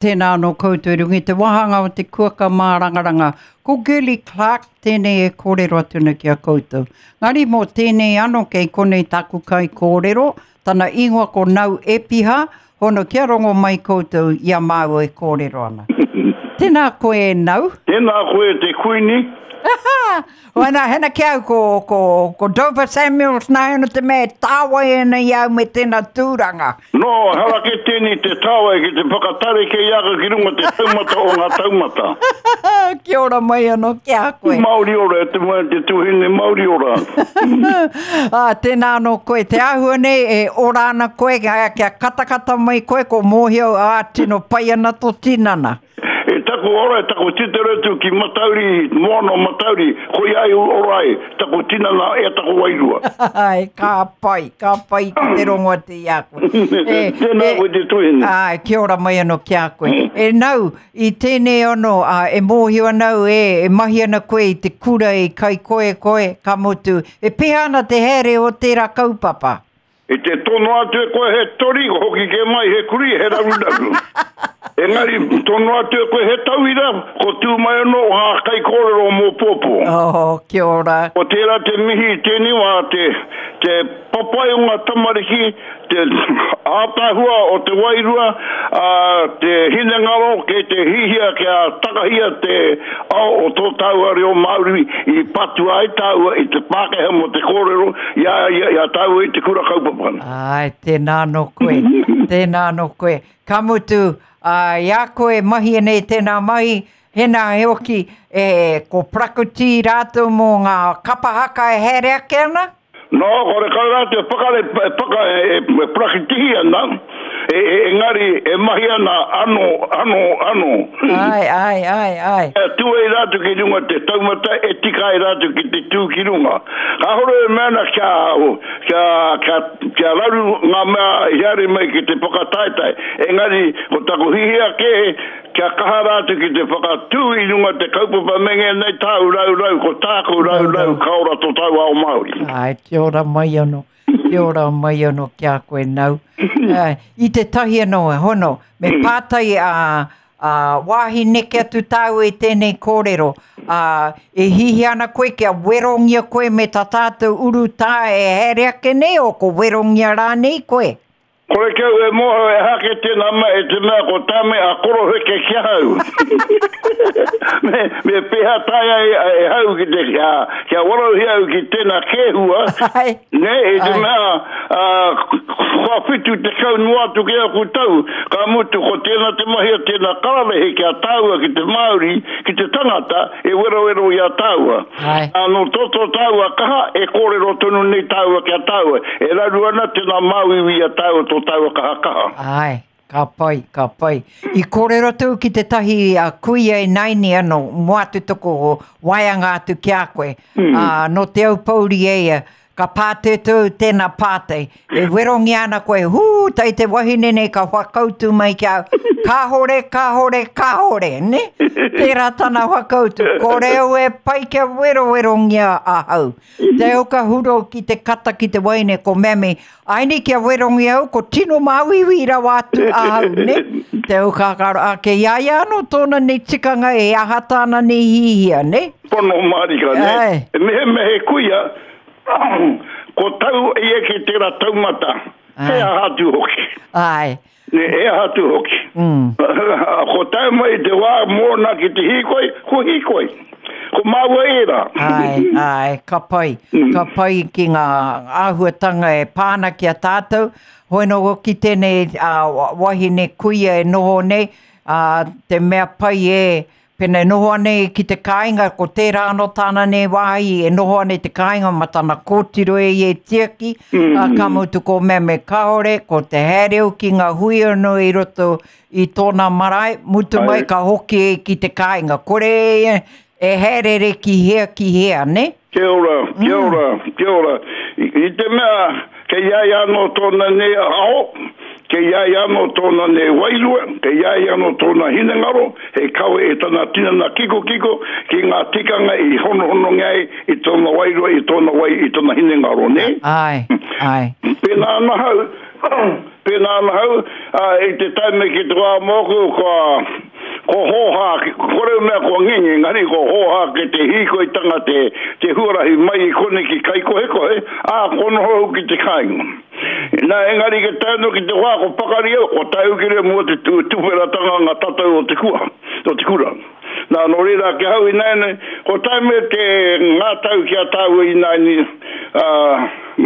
Tēnā anō koutou i runga i te wāhanga o te kuaka mārangaranga. Ko Girlie Clarke tēnei e kōrero atu ana ki a koutou. Ngari mō tēnei anō kei konei tāku kaikōrero, tana ingoa ko Nau Epiha, hono kia rongo mai koutou i a māua e kōrero ana. Tēnā koe e Nau. Tēnā koe e te Kuini. Wena, hena ki au ko, ko, ko Dover Samuels nā hena te mea e tāwai ana i au me tēnā tūranga. No, ehara ke tēnei te tāwai ki te whakatareke i a koe ki runga te taumata o ngā taumata. Kia ora mai anō ki a koe. Mauri ora e te moe te tuhine mauri ora. Ā, tēnā anō koe, te āhua nei e ora ana koe, kia katakata mai koe, ko mōhio, ā, tino pai ana tō tinana. E taku ora, e taku titiro atu ki Matauri, moana o Matauri, koia ai ora ai taku tinana e taku wairua. Ai, ka pai, ka pai ki te rongo atu i a koe. E, Tēnā koe te tuhine. Ai, kia ora mai anō ki a koe. E nau, i tēnei anō, a, e mōhio ana au, e, e mahi ana koe i te kura i Kaikoekoe, ka mutu, e pēhea ana te haere o tērā kaupapa? I te tono atu e koe he tori, ko hoki kē mai he kurī, he raruraru. Engari, tono atu e koe he tauira, ko tū mai anō ngā kaikōrero mō pōpō. Oh, kia ora. Ko tērā te mihi i tēnei wā, te, te papai o ngā tamariki, te ātaahua o te wairua, ā, te hinengaro kei te hihia kia takahia te ao o tō tāua reo Māori i patua ai tāua i te Pākehā mō te kōrero i a ia, i a tāua i te kura kaupapa. Āe, tēnā anō koe, tēnā anō koe. Ka mutu, ā, i a koe e mahi ana i tēnā mahi, hēnā hoki, e, ko Prakuti rātou mō ngā kapa haka e haere ake ana? Nō, horekau rātou e whakare, e whaka, e, e parakitihi ana, e, e, engari e mahi ana ano, ano, ano. Āe, āe, āe, āe. E tū ai rātou ki runga te taumata, e tika ai rātou ki te tū ki runga. Kāore e mea ana kia, kia, kia, kia raru ngā mea i haere mai ki te whakataetae, engari ko taku hihia kē, Kia kaha rātou ki te whakatū i runga te kaupapa me ngēnei tāu raurau, ko tāku raurau ka ora tō tāu ao Māori. Āe, kia ora mai anō, kia ora mai anō ki a koe nau. I tētahi anō, hono, me pātai a, a wāhi neke atu tāu i tēnei kōrero, ā, e hihia ana koe kia werongia koe me tā tātou urutā e haere ake nei, o ko werongia rānei koe? Kore kau e mōhio e hake tēnā mea i te mea ko Tame a koroheke ki ahau. me, me pēhea taea e, e hau ki te, kia, kia warauhia au ki tēnā kēhua, Ai. ne, i te mea, uh, kua 70 noa atu ki aku tau, ka mutu ko tēnā te mahi a tēnā kararehe ki a tāua ki te Māori, ki te tangata, e werowero i a tāua. Āe. Ā, nō tō tō tāua kaha, e kōrero tonu nei tāua ki a tāua. E raru ana tēnā māuiui i a tāua tō tāua kaha kaha. Āe, ka pai, ka pai. I kōrero atu ki tētahi a kuia ināianei anō, mua atu toko waeanga atu ki a koe. Ā, nō Te Aupōuri e ia, Ka pātūtū tēnā pātai. E werongia ana koe, hū, tai te wahine nei ka whakautu mai ki a au, kāhore, kāhore, kāhore, ne? Tērā tana whakautu, kore au e pai kia werowerongia ahau. Te au ka huro ki te kata ki te wahine, ko Mammy, aini kia werongia au, ko tino māuiui rawa atu ahau, ne? Te au ka karo, ake i a ia anō tōna nei tikanga e aha tāna nei hihia, ne? Pono mārika, ne? Āe. Mehemea he kuia, Ko tau ia ki tera taumata, he aha atu hoki. Ae. Ne, he aha atu hoki. Mm. Ko tae mai te wā mōna ki te hīkoi, ko hīkoi. Ko māua ērā. Ae, ae, ka pai. Mm. Ka pai ki ngā āhuatanga e pā ana ki a tātou. Hoi nō hoki tēnei uh, wahine kuia e noho nei, uh, te mea pai e, Pēnā e noho ana ia ki te kāinga, ko tērā anō tāna nei wāhi e noho ana i te kāinga ma tana kōtiro e ia e tiaki, ā, ka mutu ko Meme kāore, ko te haere au ki ngā hui anō i roto i tōna marae, mutu mai ka hoki e ki te kāinga. Kore e e haerere ki hea ki hea, nē? Kia ora, kia ora, kia ora. I te mea kei a ia anō tōna nei ao, kei a ia anō tōna nei wairua, kei a ia anō tōna hinengaro, hei kawe i tana tinana kikokiko ki ngā tikanga i honohonongia ai i tōna wairua, i tōna wai, i tōna hinengaro, nē? Āe, āe. Pēnā ana ahau, Pēnā ana hau, ā, i te taime ki te wā mōku, kua, kua hōhā, kore mea kua ngenge, engari kua hōhā ki te hīkoitanga te, te huarahi mai i konei ki Kaikohekohe, ā, kua noho au ki te kāinga. Nā, engari ke tae anō ki te wā kua pakari au, kua tae au ki reira mō te tuwheratanga ngā tatau o te kua, o te kura. Nā, nō reira ki ahau ināianei, kua tae mai te ngā tau ki a tāua ināianei, ā,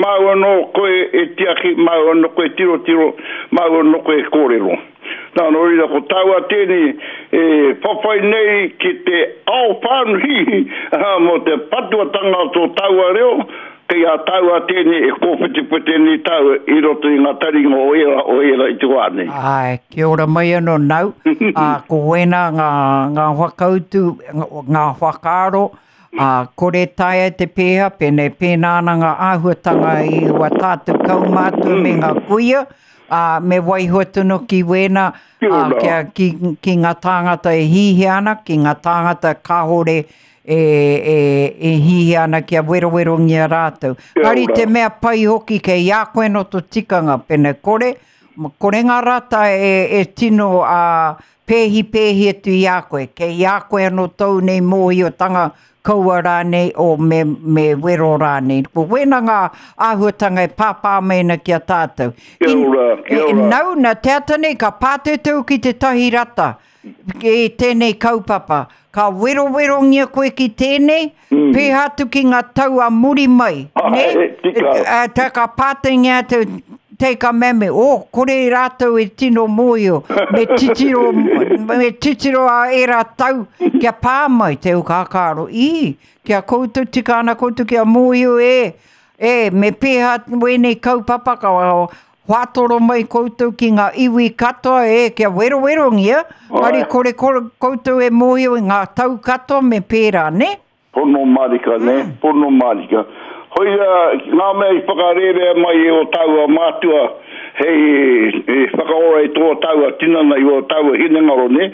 māu anō koe e tiaki, māu anō koe e tirotiro, māu anō koe e kōrero. Nā, nō reira, ko tāua tēnei e whawhai nei ki te ao whānui, ā, mō te patuatanga o tō tāua reo, Kei a tāua tēnei e kōwhetewhete nei tāua i roto i ngā taringa o ērā, o ērā i te wā nei. Āe, kia ora mai anō nau, ā, ko wēnā ngā, ngā whakautu, ngā whakaaro, ā, kore taea te pēhea, pēnei pēnā ana ngā āhuatanga i wā tātou kaumātua me ngā kuia, ā, me waiho tonu ki wēnā, ā, kia, ki, ki ngā tāngata e hihia ana, ki ngā tāngata kāore e, e, e hihia ana kia werowerongia rātou. Engari te mea pai hoki kei a koe no to tikanga, pene kore, kore ngā rata e, e tino a, pēhi pēhi atu i a koe. Kei a koe anō tōu nei mōhiotanga kaua rānei o me, me wero rānei. Ko wēnā ngā āhuatanga e pāpā mai ana ki a tātou. Kia ora, kia ora. Nau, nā te ata nei ka pātūtū ki tētahi rata. I tēnei kaupapa. Ka werowerongia koe ki tēnei, mm. pēhā atu ki ngā tau a muri mai. Ah, ne? E, tika. E, tā ka pātengia atu, te ka mea me, oh, kore rātou e tino mōhio, me titiro, me titiro a ērā tau kia pā mai te ukākāro. Ī, kia koutou tika ana koutou kia mōhio e, e, me pēhā wēnei kaupapa ka Whātoro mai koutou ki ngā iwi katoa e kia werowerongia, engari kore koutou e mōhio i ngā tau katoa me pērā, nē? Pono mārika, nē? Pono mārika. Koia ngā mea i whakarērea mai e ō tāua mātua hei whakaora i tō tāua tinana, i ō tāua hinengaro, nē?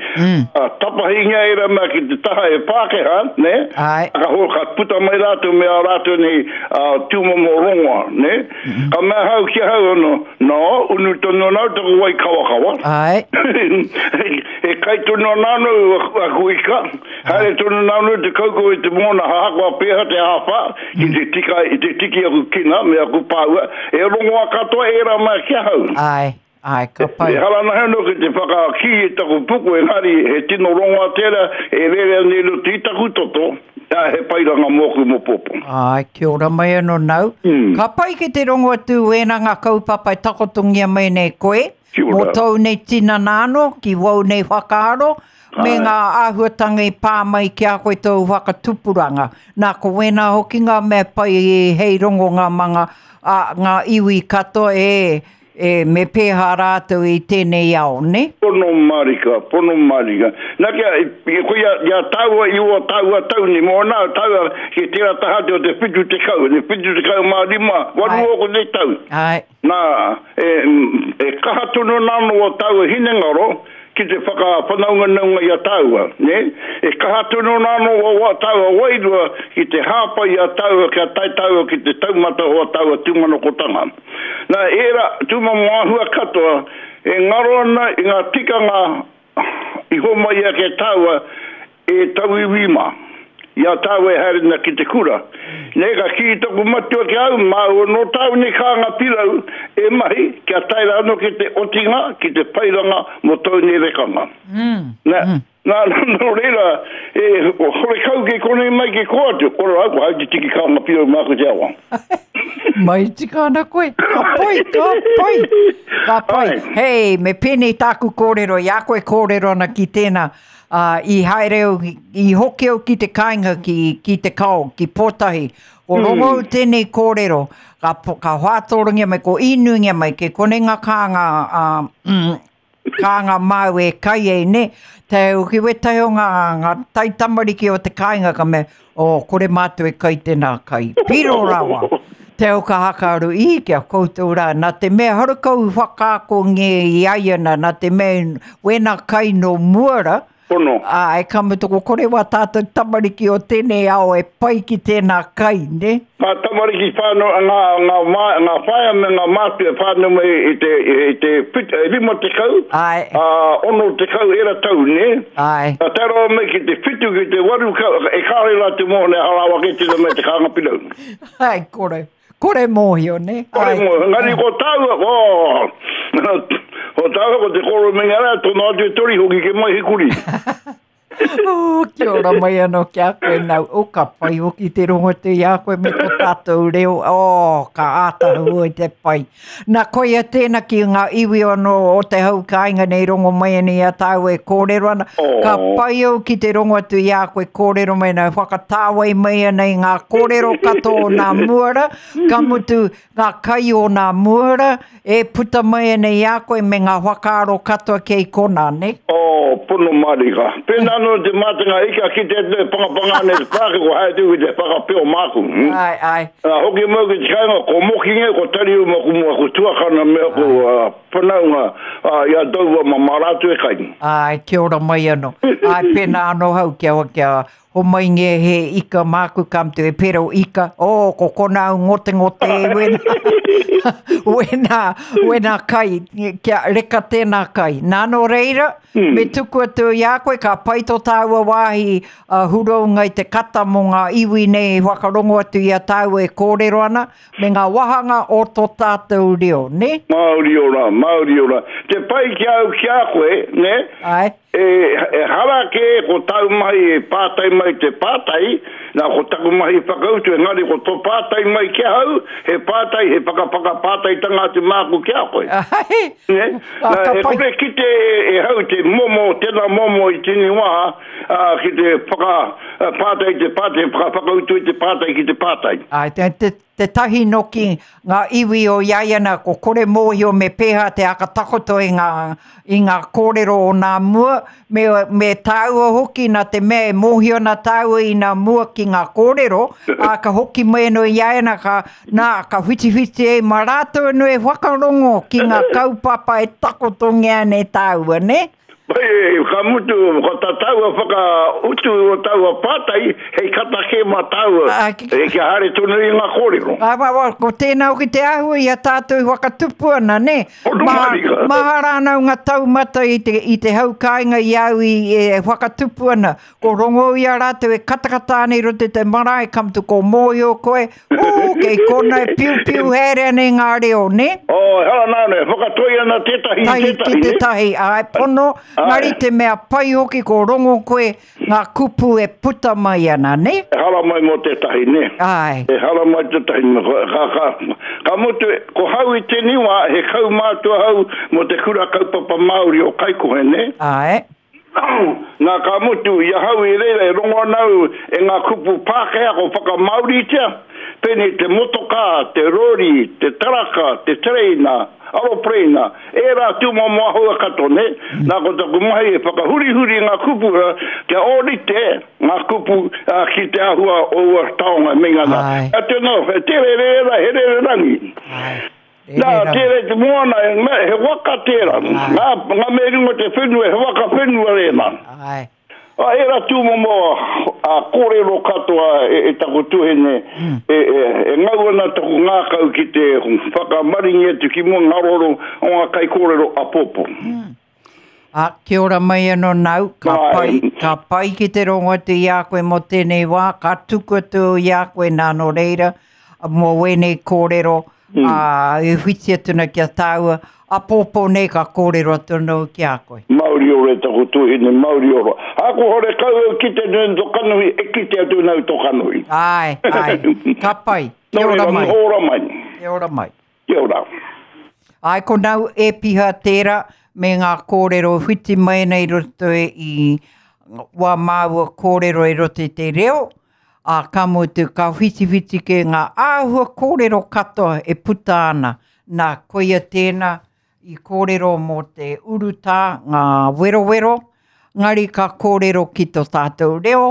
Tapahingia ērā mea ki te taha e Pākehā, nē? Ka, ka puta mai rātou me ā rātou nei tūmomo rongoa, nē? Ka mea ahau ki ahau ano, No, unu tonu ana au taku wai kawakawa. Ae. e kai tonu ana ano aku ika. Haere tonu ana ano te kaukau i te moana ahakoa peha te āwha ki te tika i te tiki aku kina me aku pāua. E rongoa katoa ērā mea ki ahau. Ae. Ae, ka pai. Ehara ana anō ki te whakakī i taku puku, engari he tino rongoa tērā e rere ana i roto i taku toto, ā, he pairanga mōku mō pōpō. Āe, kia ora mai anō nau. Ka pai ki te rongo atu wēnā ngā kaupapa e takotongia mai nei koe, mō tōu nei tinana anō, ki wōu nei whakaaro, me ngā āhuatanga i pā mai ki a koe tōu whakatupuranga. Nā, ko wēnā hoki ngā mea pai hei rongonga mā ngā, ngā iwi katoa e, E, me pēhā rātou i tēnei ao, nē? Pono marika, pono marika. Na kia, ko ia, ia tāua i ō tāua tau nei, mō nā tāua ki tērā taha atu o te 70, te 75, waru ōku nei tau. Āe. Nā, e, e kaha tonu ana anō ō tāua hinengaro ki te whakawhanaunganaunga i a tāua, nē? E kaha tonu ana anō ō tāua wairua ki te hāpai i a tāua kia tae tāua ki te taumata o ā tāua tūmanakotanga. Nā ērā tūmomo āhua katoa e ngaro ana i ngā tikanga i homai ake tāua e tauiwi mā, i a tāua e haere ana ki te kura. Nei ka kī taku matua ki a au, māu anō tāu nei kānga pirau e mahi kia tae rā anō ki te otinga, ki te pairanga mō tōu nei rekanga. Nā, Nā, nō reira, e, horekau kei konei mai kei kō atu, kore au, ko hau te tiki kānga pirau māku te awa. Mai tika ana koe, ka pai, ka pai, ka pai. Ai. Hei, me pēnei tāku kōrero, i a koe kōrero ana ki tēnā, ā, i haere au, i hoki au ki te kāinga ki, ki te kao, ki Pōtahi, ko rongo au tēnei kōrero, ka, ka whātōrangia mai, ko īnungia mai, kei konei ngā kānga, ā, mm, Kānga māu e kai ei, nē? Te ki wētahi o ngā, ngā taitamariki o te kāinga ka mea, oh, kore mātou e kai tēnā kai. Piro rawa! Te au ka hakaru, i, ki a koutou rā, nā te mea horekau i whakaakongia i a ia nā, nā te mea wēnā kai nō mua rā, Pono. Āe, ka mutu ko kore wā tātou tamariki o tēnei ao e pai ki tēnā kai, nē? Ngā tamariki whānau, ngā, ngā, mā, ngā whaea me ngā mātua whānau mai i te, i te pit, 50, Āe. ā, 60 ērā tau, nē? Āe. Ka tae rawa mai ki te whitu, ki te waru, ka, e kāore rātou mōhio nei, hara rawa kē tēnā mea te kānga pirau. Āe, kore. Kore mōhio, nē? Kore mōhio. Engari ko tāua, oh, ko tāua ko te koro me ngā rā, tono atu e tori hoki ke mai he kuri. Oh, kia ora mai anō ki a koe nau. Oh, ka pai hoki te rongo atu i a koe me tō tātou reo. Oh, ka ātahua i te pai. Nā, koia tēnā ki ngā iwi anō o te hau kāinga nei rongo mai ana i a tāua e kōrero ana. Oh. Ka pai au ki te rongo atu i a koe kōrero mai ana, whakatāwai mai ana i ngā kōrero katoa o nā muara, ka mutu ngā kai o nā muara e puta mai ana i a koe me ngā whakaaro katoa kei konā, nē? Oh, pono mārika. Pēnā anō te mātanga ika ki te atu e pangapanga ana i te pāke, ko haere atu ki te whakapeo māku. Āe, āe. Ā, hoki mau ki te kāinga, ko Mokinge, ko Tariu ma ku, ma ku tuakana me aku whanaunga, ā, i a Dover ma, mā rātou e kai. Āe, kia ora mai anō. Āe, pēnā anō hau kia, kia homai nge he ika māku ka mutu he pero ika. Oh, ko kona au ngotengote e wena, wena, wena kai, kia reka tēnā kai. Nā nō reira, me tuku atu i a koe, ka pai tō tāua wāhi a Hurounga i te kata mō ngā iwi nei i whakarongo atu i a tāua e kōrero ana, me ngā wāhanga o tō tātou reo, nē? Māori ora, Māori ora. Te pai ki a au ki a koe, nē? Āe. E, ehara kē ko tāu mahi e pātai mai te pātai, nā, ko taku mahi whakautu, engari ko tō pātai mai ki ahau, he pātai, he whakawhakapātaitanga atu māku ki a koe. Āe. Nē? Ā, Nā, ka e pai. kore kite e hau te momo, tēnā momo i tēnei wā, ā, ki te whaka, pātai i te pātai, whakawhakautu i te pātai ki te pātai. Āe, te, te, te tahi noki ngā iwi o iaiana ko kore mōhio me pēhā te aka takoto i ngā, i ngā kōrero o nā mua, me, me tāua hoki nā te mea e mōhio ana tāua i nā mua ki ngā kōrero, ā, ka hoki mai anō iaiana ka, nā, ka whitiwhiti ai mā rātou anō e whakarongo ki ngā kaupapa e takotongia ana e tāua, nē? Pai, ka mutu, ko tā tāua whakautu o taua pātai, hei kata kē mā tāua, Ā, ki- e, kia haere tonu i ngā kōrero. Ā, wā, wā, ko tēnā hoki te āhua i a tātou i whakatupu ana, nē? Pono mārika. Maha rānau ngā taumata i te, i te hau kāinga i au i e whakatupu ana. Ko rongo i a rātou e katakata ana i roto i te marae, ka mutu ko mōhio koe, ū, kei kona e piupiu haere ana i ngā reo, nē? Oh, ehara nā, nē, whakatoi ana tētahi i Tahi ki tētahi, nē? tētahi, āe, pono, Āe. ngari te mea pai hoki ko rongo koe ngā kupu e puta mai ana, nē? Ehara mai mō tētahi, nē? Āe. Ehara mai tētahi, ka, ka, ka mutu, ko hau i tēnei wā, he kaumātua hau mō te kura kaupapa Māori o Kaikohe, nē? Āe. Nā, ka mutu, i ahau i reira e rongo ana au e ngā kupu Pākehā ko whakamāoritia, pēnei te motokā, te rori, te taraka, te tereina, aropereina, ērā tūmomo āhua katoa, nē? Nā, ko taku mahi e whakahurihuri i ngā kupu kia ōrite ngā kupu ki te āhua o ua taonga e meinga ana. Āe. Atu anō, he tere rērā, he rererangi. Āe. Nā, tērā i te moana, he waka tērā. Ngā, ngā mea i runga te whenua, he waka whenua rēnā. Āe. A, ērā tūmomo a, kōrero katoa e, e taku tuhene, e, e, e ngau ana taku ngākau ki te whakamaringi atu ki mua ngā roro o ngā kaikōrero apōpō. A, kia ora mai anō nāu, ka pai, ka pai ki te rongo atu i a koe mō tēnei wā, ka tuku atu i a koe nā nō reira, mō wēnei kōrero, ā, e whiti atu ana ki a tāua, apōpō nei ka kōrero atu anō ki a koe. Mauri ora e taku tuhine, mauri ora. Ako horekau au kite nui to kanohi, e kite atu nau to kanohi. Āe, āe, ka pai, kia Nō ora reira, mai. noho ora mai. Kia ora mai. Kia ora. Āe, ko nau e piha tērā me ngā kōrero whiti mai nei roto i wā māua kōrero i roto i te reo, ā, ka mutu, ka whitiwhiti kē ngā āhua kōrero katoa e puta ana. Nā, koia tēnā i kōrero mō te urutā, ngā werowero, ngari ka kōrero ki tō tātou reo,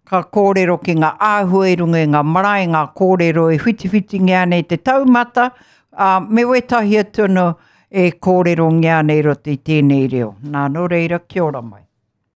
ka kōrero ki ngā āhua i runga i ngā marae, ngā kōrero e whitiwhitingia ana i te taumata, ā, me wētahi atu anō e kōrerongia ana i roto i tēnei reo. Nā, nō reira, kia ora mai.